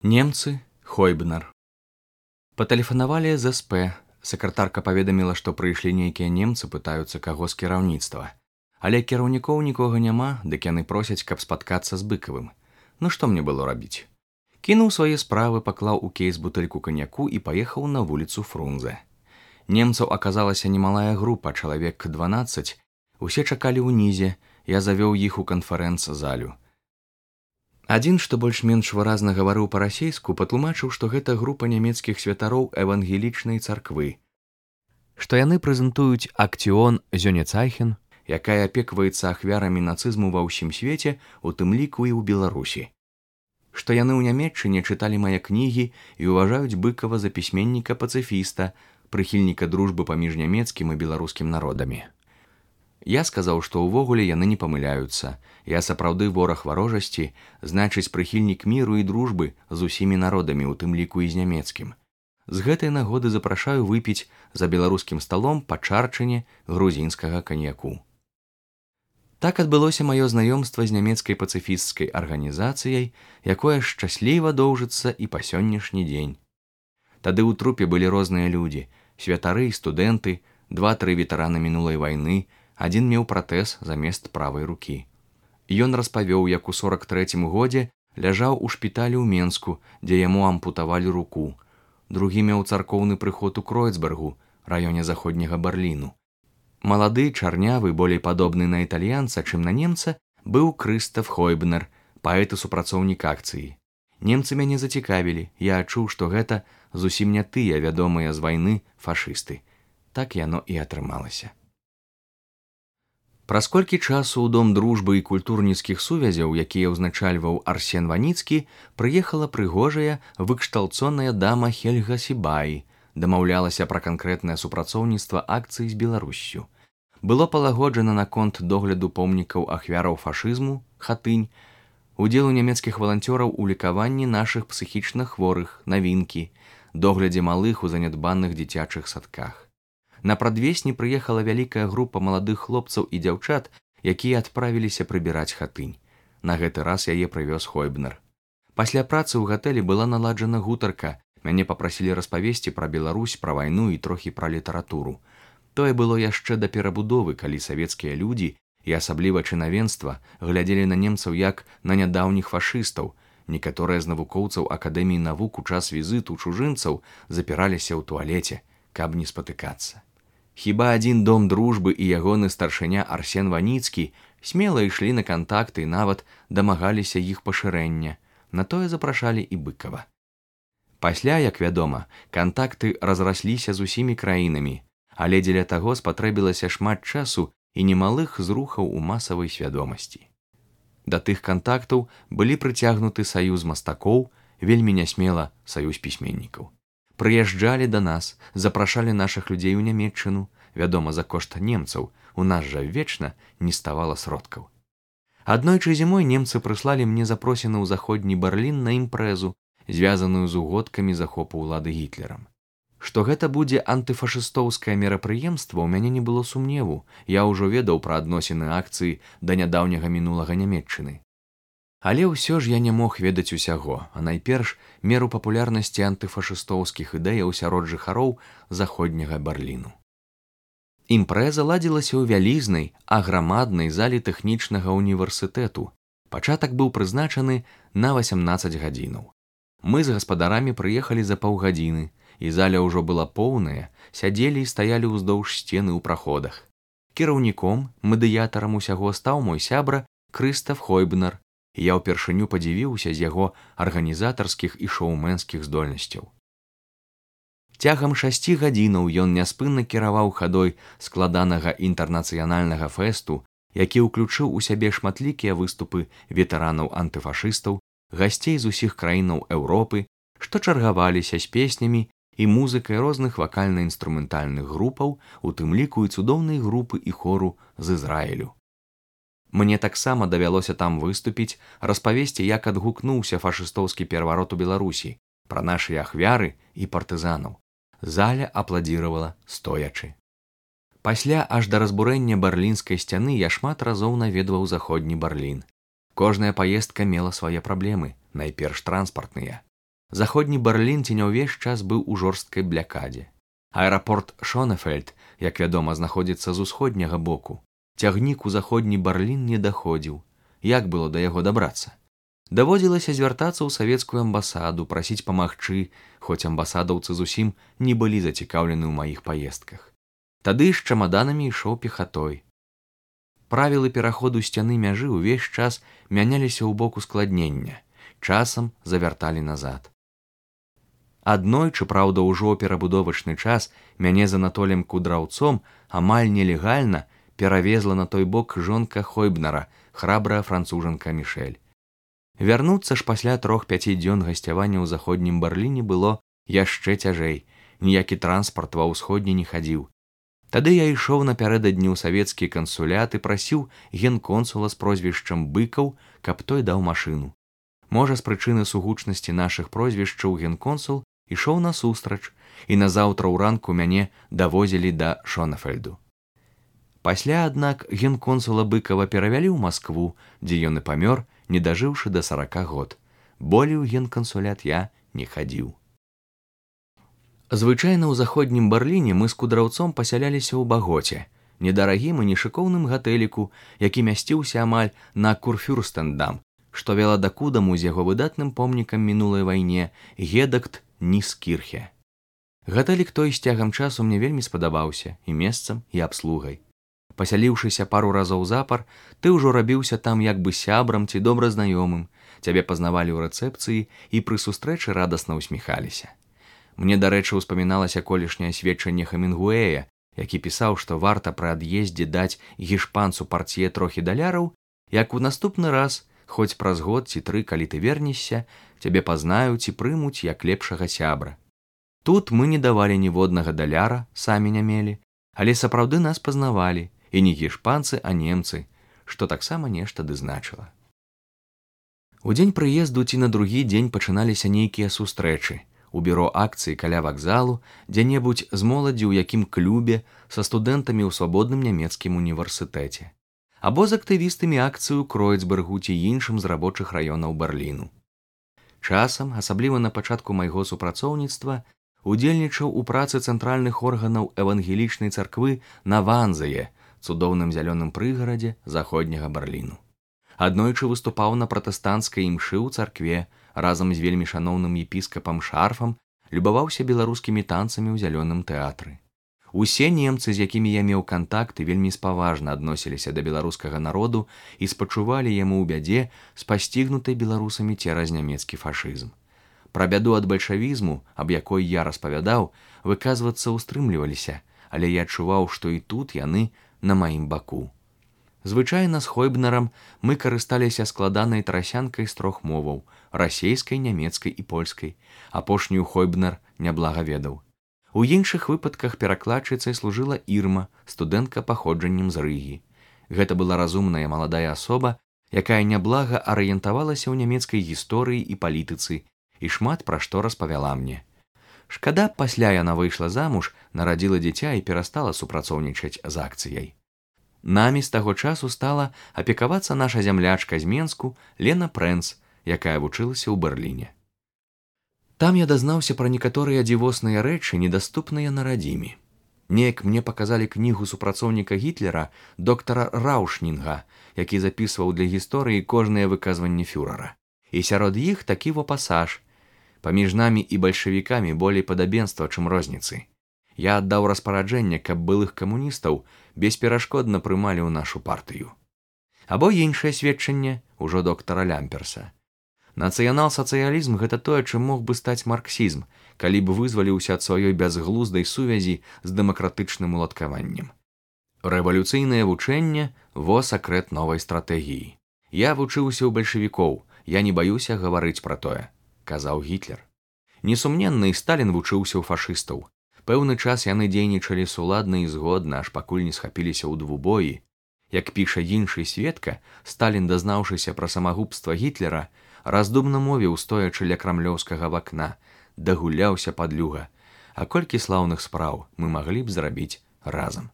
Немцы, Хойбнер. Патэлефанавалі з СП. Сакратарка паведаміла, што прыйшлі нейкія немцы, пытаюцца каго з кіраўніцтва. Але кіраўнікоў нікога няма, дык яны просяць, каб спаткацца з Быкавым. Ну што мне было рабіць? Кінуў свае справы, паклаў у кейс бутэльку каньяку і паехаў на вуліцу Фрунзе. Немцаў аказалася немалая група, чалавек 12. Усе чакалі ўнізе, я завёў іх у канферэнц-залю. Адзін, што больш-менш выразна гаварыў па-расейску, патлумачыў, што гэта група нямецкіх святароў евангелічнай царквы, што яны прэзентуюць акцыён Зёнецайхен, якая апекваецца ахвярамі нацызму ва ўсім свеце, у тым ліку і ў Беларусі. Што яны ў Нямецчыне чыталі мае кнігі і ўважаюць Быкава за пісьменніка-пацыфіста, прыхільніка дружбы паміж нямецкім і беларускім народамі. Я сказаў, што ўвогуле яны не памыляюцца. Я сапраўды вораг варожасці, значыць прыхільнік міру і дружбы з усімі народамі, у тым ліку і з нямецкім. З гэтай нагоды запрашаю выпіць за беларускім сталом па чарчыне грузінскага каньяку. Так адбылося маё знаёмства з нямецкай пацыфісцкай арганізацыяй, якое шчасліва доўжыцца і па сённяшні дзень. Тады ў трупе былі розныя людзі, святары і студэнты, 2-3 ветэраны мінулай вайны, адзін меў пратэз замест правай рукі. Ён распавёў, як у 43-м годзе ляжаў у шпіталі ў Менску, дзе яму ампутавалі руку. Другі меў царкоўны прыход у Кройцбергу, раёне заходняга Берліну. Малады, чарнявы, болей падобны на італьянца, чым на немца, быў Крыстаф Хойбнер, паэт і супрацоўнік акцыі. Немцы мяне зацікавілі, я адчуў, што гэта зусім не тыя вядомыя з вайны фашысты. Так яно і атрымалася. Праз колькі часу ў дом дружбы і культурніцкіх сувязяў, якія ўзначальваў Арсен Ваніцкі, прыехала прыгожая, выкшталцоная дама Хельга Сібай, дамаўлялася пра канкрэтнае супрацоўніцтва акцыі з Беларуссю. Было палагоджана наконт догляду помнікаў ахвяраў фашызму, Хатынь, удзелу нямецкіх валанцёраў у лікаванні нашых псіхічна хворых, Навінкі, доглядзе малых у занядбаных дзіцячых садках. На прадвесні прыехала вялікая група маладых хлопцаў і дзяўчат, якія адправіліся прыбіраць Хатынь. На гэты раз яе прывёз Хойбнер. Пасля працы ў гатэлі была наладжана гутарка. Мяне папрасілі распавесці пра Беларусь, пра вайну і трохі пра літаратуру. Тое было яшчэ да перабудовы, калі савецкія людзі, і асабліва чынавенства, глядзелі на немцаў як на нядаўніх фашыстаў. Некаторыя з навукоўцаў Акадэміі навук у час візіту чужынцаў запіраліся ў туалеце, каб не спатыкацца. Хіба адзін дом дружбы і ягоны старшыня Арсен Ваніцкі смела ішлі на кантакты і нават дамагаліся іх пашырэння. На тое запрашалі і Быкава. Пасля, як вядома, кантакты разрасліся з усімі краінамі, але дзеля таго спатрэбілася шмат часу і немалых зрухаў у масавай свядомасці. Да тых кантактаў былі прыцягнуты саюз мастакоў, вельмі нясмела саюз пісьменнікаў. Прыязджалі да нас, запрашалі нашых людзей у Нямецчыну, вядома, за кошт немцаў, у нас жа вечна не ставала сродкаў. Аднойчы зімой немцы прыслалі мне запросіны ў заходні Берлін на імпрэзу, звязаную з угодкамі захопу ўлады Гітлерам. Што гэта будзе антыфашыстоўскае мерапрыемства, у мяне не было сумневу, я ўжо ведаў пра адносіны акцыі да нядаўняга мінулага Нямецчыны. Але ўсё ж я не мог ведаць усяго, а найперш меру папулярнасці антыфашыстоўскіх ідэяў сярод жыхароў заходняга Берліну. Імпрэза ладзілася ў вялізнай, аграмаднай залі тэхнічнага універсітэту. Пачатак быў прызначаны на 18 гадзінаў. Мы з гаспадарамі прыехалі за паўгадзіны, і заля ўжо была поўная, сядзелі і стаялі ўздоўж сцены ў праходах. Кіраўніком, медыятарам усяго стаў мой сябра Крыстаф Хойбнер, і я ўпершыню падзівіўся з яго арганізатарскіх і шоумэнскіх здольнасцяў. Цягам 6 гадзінаў ён няспынна кіраваў хадой складанага інтэрнацыянальнага фэсту, які ўключыў у сябе шматлікія выступы ветэранаў антыфашыстаў, гасцей з усіх краінаў Еўропы, што чаргаваліся з песнямі і музыкай розных вакальна-інструментальных групаў, у тым ліку і цудоўнай групы і хору з Ізраілю. Мне таксама давялося там выступіць, распавесці, як адгукнуўся фашыстоўскі пераварот у Беларусі, пра нашы ахвяры і партызанаў. Заля апладзіравала стоячы. Пасля аж да разбурэння берлінскай сцяны я шмат разоў наведваў заходні Берлін. Кожная паездка мела свае праблемы, найперш транспартныя. Заходні Берлін ці не ўвесь час быў у жорсткай блякадзе. Аэрапорт Шонефельд, як вядома, знаходзіцца з усходняга боку. Цягнік у заходні Берлін не даходзіў. Як было да яго дабрацца? Даводзілася звяртацца ў савецкую амбасаду, прасіць памагчы, хоць амбасадаўцы зусім не былі зацікаўлены ў маіх паездках. Тады з чамаданамі ішоў пехатой. Правілы пераходу сцяны мяжы ўвесь час мяняліся ў бок ускладнення, часам завярталі назад. Аднойчы, праўда, ужо перабудовачны час мяне з Анатолем Кудраўцом амаль нелегальна перавезла на той бок жонка Хойбнера, храбрая францужанка Мішэль. Вярнуцца ж пасля 3-5 дзён гасцявання ў заходнім Берліне было яшчэ цяжэй, ніякі транспарт ва ўсходні не хадзіў. Тады я ішоў напярэдадні ў савецкі кансулят і прасіў генконсула з прозвішчам Быкаў, каб той даў машыну. Можа, з прычыны сугучнасці нашых прозвішчаў генконсул ішоў насустрач, і назаўтра ўранку мяне давозілі да Шонефельду. Пасля, аднак, генконсула Быкава перавялі ў Маскву, дзе ён і памёр, не дажыўшы да 40 год. Болей у генкансулят я не хадзіў. Звычайна ў заходнім Берліне мы з Кудраўцом пасяляліся ў Багоце, недарагім і нешыкоўным гатэліку, які мясціўся амаль на Курфюрстендам, што вела да Кудаму з яго выдатным помнікам мінулай вайне Гедакт Ніскірхе. Гатэлік той з цягам часу мне вельмі спадабаўся і месцам, і абслугай. Пасяліўшыся пару разоў запар, ты ўжо рабіўся там як бы сябрам ці добра знаёмым, цябе пазнавалі ў рэцэпцыі і пры сустрэчы радасна усміхаліся. Мне, дарэчы, успаміналася колішняе сведчанне Хемінгуэя, які пісаў, што варта пры ад'ездзе даць гішпанцу партье трохі даляраў, як у наступны раз, хоць праз год ці 3, калі ты вернешся, цябе пазнаюць і прымуць як лепшага сябра. Тут мы не давалі ніводнага даляра, самі не мелі, але сапраўды нас пазнавалі, і не гішпанцы, а немцы, што таксама нешта ды значыла. У дзень прыезду ці на другі дзень пачыналіся нейкія сустрэчы, у бюро акцыі каля вакзалу, дзе-небудзь з моладзі ў якім клубе, са студэнтамі ў свабодным нямецкім універсітэце, або з актывістамі акцыі ў Кройцбергу ці іншым з рабочых раёнаў Берліну. Часам, асабліва на пачатку майго супрацоўніцтва, удзельнічаў у працы цэнтральных органаў евангелічнай царквы на Ванзее, цудоўным зялёным прыгарадзе заходняга Берліну. Аднойчы выступаў на пратэстанцкай імшы ў царкве, разам з вельмі шаноўным епіскапам Шарфам, любаваўся беларускімі танцамі ў зялёным тэатры. Усе немцы, з якімі я меў кантакты, вельмі спаважна адносіліся да беларускага народу і спачувалі яму ў бядзе з пасцігнутай беларусамі цераз нямецкі фашызм. Пра бяду ад бальшавізму, аб якой я распавядаў, выказвацца ўстрымліваліся, але я адчуваў, што і тут яны на маім баку. Звычайна з Хойбнерам мы карысталіся складанай трасянкай з 3 моваў – расейскай, нямецкай і польскай. Апошнюю Хойбнер няблага ведаў. У іншых выпадках перакладчыцай служыла Ірма, студэнтка паходжаннем з Рыгі. Гэта была разумная маладая асоба, якая няблага арыентавалася ў нямецкай гісторыі і палітыцы і шмат пра што распавяла мне. Шкада, пасля яна выйшла замуж, нарадзіла дзіця і перастала супрацоўнічаць з акцыяй. Намі з таго часу стала апекавацца наша зямлячка з Менску Лена Прэнц, якая вучылася ў Берліне. Там я дазнаўся пра некаторыя дзівосныя рэчы, недаступныя на радзіме. Неяк мне паказалі кнігу супрацоўніка Гітлера доктара Раушнінга, які запісваў для гісторыі кожныя выказванні фюрера. І сярод іх такі во пасаж: «Паміж намі і бальшавікамі болей падабенства, чым розніцы. Я аддаў распараджэнне, каб былых камуністаў бесперашкодна прымалі ў нашу партыю». Або іншае сведчанне ўжо доктара Лямперса. Нацыянал-сацыялізм – гэта тое, чым мог бы стаць марксізм, калі б вызваліўся ад сваёй бязглуздай сувязі з дэмакратычным уладкаваннем. Рэвалюцыйнае вучэнне – во сакрэт новай стратэгіі. Я вучыўся ў бальшавікоў, я не баюся гаварыць пра тое, казаў Гітлер. Несумненна, і Сталін вучыўся ў фашыстаў. Пэўны час яны дзейнічалі суладна і згодна, аж пакуль не схапіліся ў двубоі. Як піша іншы сведка, Сталін, дазнаўшыся пра самагубства Гітлера, раздумна мовіў, стоячы ля крамлёўскага вакна: «Дагуляўся, падлюга, а колькі слаўных спраў мы маглі б зрабіць разам».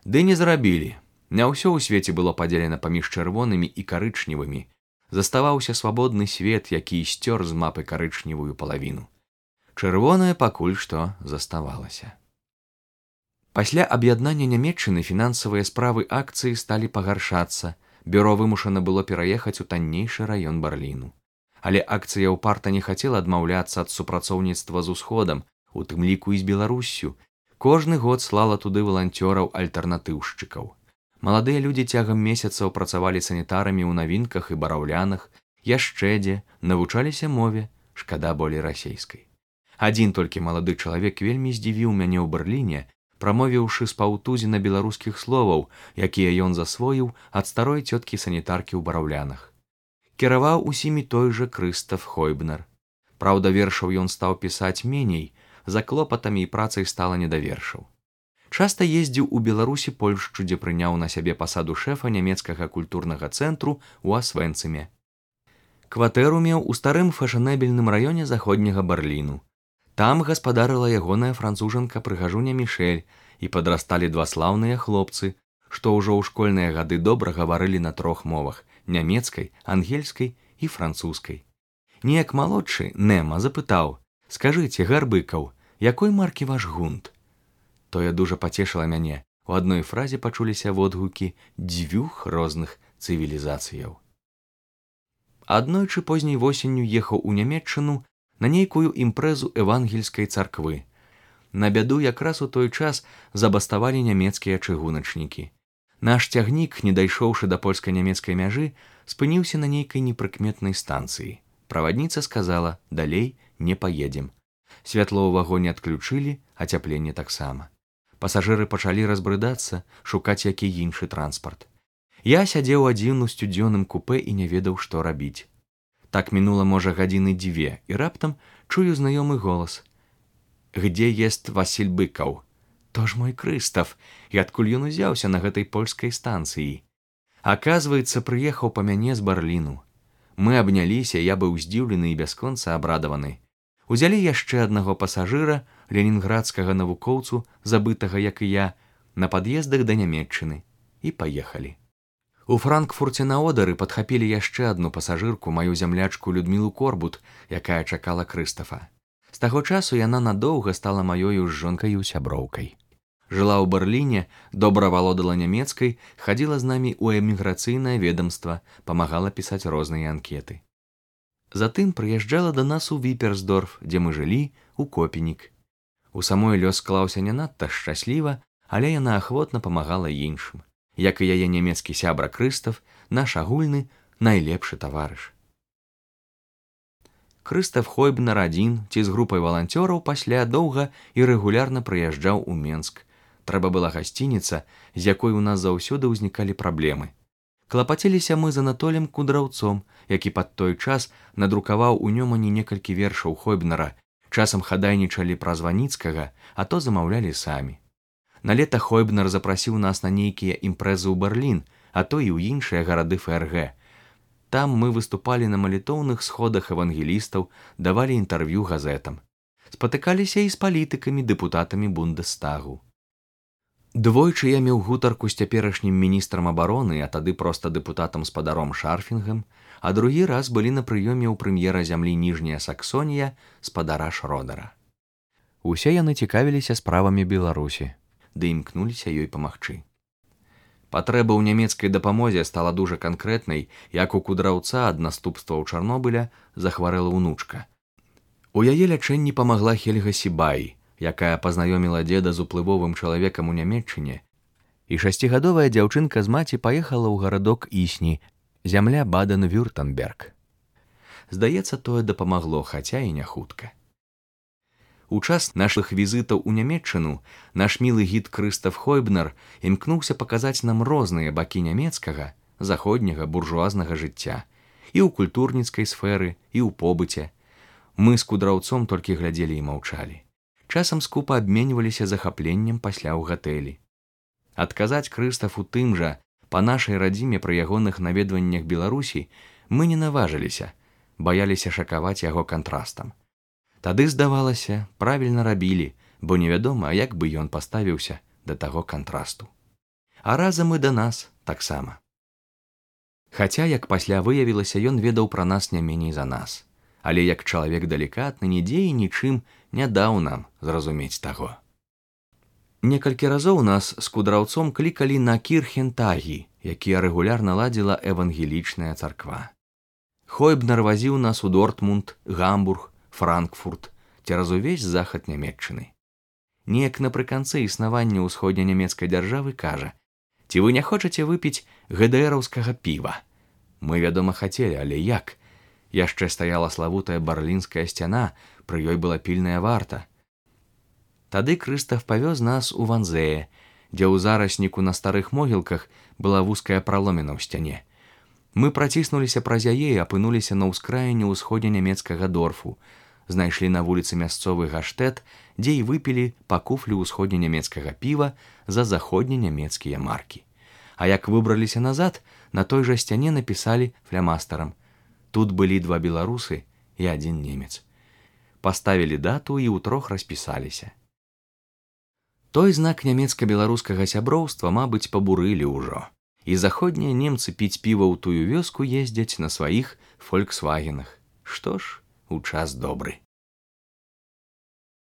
Ды не зрабілі. Не ўсё ў свеце было падзелена паміж чырвонымі і карычневымі. Заставаўся свабодны свет, які сцёр з мапы карычневую палавіну. Чырвонае пакуль што заставалася. Пасля аб'яднання Нямецчыны фінансавыя справы акцыі сталі пагаршацца, бюро вымушана было пераехаць у таннейшы раён Берліну. Але акцыя ўпарта не хацела адмаўляцца ад супрацоўніцтва з усходам, у тым ліку і з Беларуссю. Кожны год слала туды валанцёраў-альтэрнатыўшчыкаў. Маладыя людзі цягам месяцаў працавалі санітарамі ў навінках і бараўлянах, яшчэ дзе навучаліся мове, шкада болей расейскай. Адзін толькі малады чалавек вельмі здзівіў мяне ў Берліне, прамовіўшы з паўтузіна беларускіх словаў, якія ён засвоіў ад старой цёткі санітаркі ў бараўлянах. Кіраваў усімі той жа Крыстаф Хойбнер. Праўда, вершаў ён стаў пісаць меней, за клопатамі і працай стала не да вершаў. Часта ездзіў у Беларусі Польшчу, дзе прыняў на сябе пасаду шэфа нямецкага культурнага цэнтру ў Асвенцыме. Кватэру меў у старым фэшанэбельным раёне заходняга Берліну. Там гаспадарыла ягоная францужанка-прыгажуня Мішэль, і падрасталі два слаўныя хлопцы, што ўжо ў школьныя гады добра гаварылі на 3 мовах – нямецкай, ангельскай і французскай. Неяк малодшы, Нема, запытаў: «Скажыце, Гарбыкаў, якой маркі ваш гунт?» Тое дужа пацешыла мяне. У адной фразе пачуліся водгукі 2 розных цывілізацыяў. Аднойчы позняй восенню ехаў у Нямецчыну на нейкую імпрэзу евангельскай царквы. На бяду якраз у той час забаставалі нямецкія чыгуначнікі. Наш цягнік, не дайшоўшы да польска-нямецкай мяжы, спыніўся на нейкай непрыкметнай станцыі. Правадніца сказала: «Далей не паедзем». Святло ў вагоне адключылі, ацяпленне таксама. Пасажыры пачалі разбрыдацца, шукаць які іншы транспарт. Я сядзеў адзін у сцюдзёным купэ і не ведаў, што рабіць. Так мінула, можа, гадзіны 2, і раптам чую знаёмы голас: «Где ест Васіль Быкаў?» То ж мой Крыстаф, і адкуль ён узяўся на гэтай польскай станцыі. Аказваецца, прыехаў па мяне з Берліну. Мы абняліся, я быў здзіўлены і бясконца абрадаваны. Узялі яшчэ аднаго пасажыра, ленінградскага навукоўцу, забытага, як і я, на пад'ездах да Нямецчыны, і паехалі. У Франкфурце на Одары падхапілі яшчэ адну пасажырку, маю зямлячку Людмілу Корбут, якая чакала Крыстафа. З таго часу яна надоўга стала маёю з жонкаю сяброўкай. Жыла ў Берліне, добра валодала нямецкай, хадзіла з намі ў эміграцыйнае ведамства, памагала пісаць розныя анкеты. Затым прыязджала да нас у Віперсдорф, дзе мы жылі, у Копенік. У самой лёс склаўся не надта шчасліва, але яна ахвотна памагала іншым. Як і яе нямецкі сябра Крыстаф, наш агульны найлепшы таварыш. Крыстаф Хойбнер адзін ці з групай валанцёраў пасля доўга і рэгулярна прыязджаў у Менск. Трэба была гасцініца, з якой у нас заўсёды ўзнікалі праблемы. Клапаціліся мы з Анатолем Кудраўцом, які пад той час надрукаваў у Нёмане некалькі вершаў Хойбнера, часам хадайнічалі праз Ваніцкага, а то замаўлялі самі. На лета Хойбнер запрасіў нас на нейкія імпрэзы ў Берлін, а то і ў іншыя гарады ФРГ. Там мы выступалі на малітоўных сходах евангелістаў, давалі інтэрв'ю газетам. Спатыкаліся і з палітыкамі, дэпутатамі Бундестагу. Двойчы я меў гутарку з цяперашнім міністрам абароны, а тады проста дэпутатам-спадаром Шарфінгам, а другі раз былі на прыёме ў прэм'ера зямлі Ніжняя Саксонія, спадара Шродера. Усе яны цікавіліся справамі Беларусі, ды імкнуліся ёй памагчы. Патрэба ў нямецкай дапамозе стала дужа канкрэтнай, як у Кудраўца ад наступстваў Чарнобыля захварэла ўнучка. У яе лячэнні памагла Хельга Сібай, якая пазнаёміла дзеда з уплывовым чалавекам у Нямецчыне, і 6гадовая дзяўчынка з маці паехала ў гарадок Існі, зямля Баден-Вюртэмберг. Здаецца, тое дапамагло, хаця і не хутка. У час нашых візітаў у Нямецчыну наш мілы гід Крыстаф Хойбнер імкнуўся паказаць нам розныя бакі нямецкага, заходняга буржуазнага жыцця, і ў культурніцкай сферы, і ў побыце. Мы з Кудраўцом толькі глядзелі і маўчалі. Часам скупа абменьваліся захапленнем пасля ў гатэлі. Адказаць Крыстафу тым жа, па нашай радзіме пры ягоных наведваннях Беларусі, мы не наважыліся, баяліся шакаваць яго кантрастам. Тады, здавалася, правільна рабілі, бо невядома, як бы ён паставіўся да таго кантрасту. А разам і да нас таксама. Хаця, як пасля выявілася, ён ведаў пра нас не меней за нас. Але як чалавек далікатны, нідзе і нічым не даў нам зразумець таго. Некалькі разоў нас з кудраўцом клікалі на кірхентагі, якія рэгулярна ладзіла евангелічная царква. Хойбнер вазіў нас у Дортмунд, Гамбург, Франкфурт, цераз увесь захад Нямецчыны. Неяк напрыканцы існавання ўсходнянямецкай дзяржавы кажа: «Ці вы не хочаце выпіць ГДРаўскага піва?» Мы, вядома, хацелі, але як? Яшчэ стаяла славутая барлінская сцяна, пры ёй была пільная варта. Тады Крыстаф павёз нас у Ванзее, дзе ў зарасніку на старых могілках была вузкая праломіна ў сцяне. Мы праціснуліся праз яе і апынуліся на ўскраіне ўсходнянямецкага Дорфу, знайшлі на вуліцы мясцовы гаштэт, дзе і выпілі па куфлю ўсходнянямецкага піва за заходненямецкія маркі. А як выбраліся назад, на той жа сцяне напісалі флямастарам: «Тут былі 2 беларусы і 1 немец». Паставілі дату і ўтрох распісаліся. Той знак нямецка-беларускага сяброўства, мабыць, пабурылі ўжо. І заходнія немцы піць піва ў тую вёску ездзяць на сваіх фольксвагенах. Што ж, у час добры.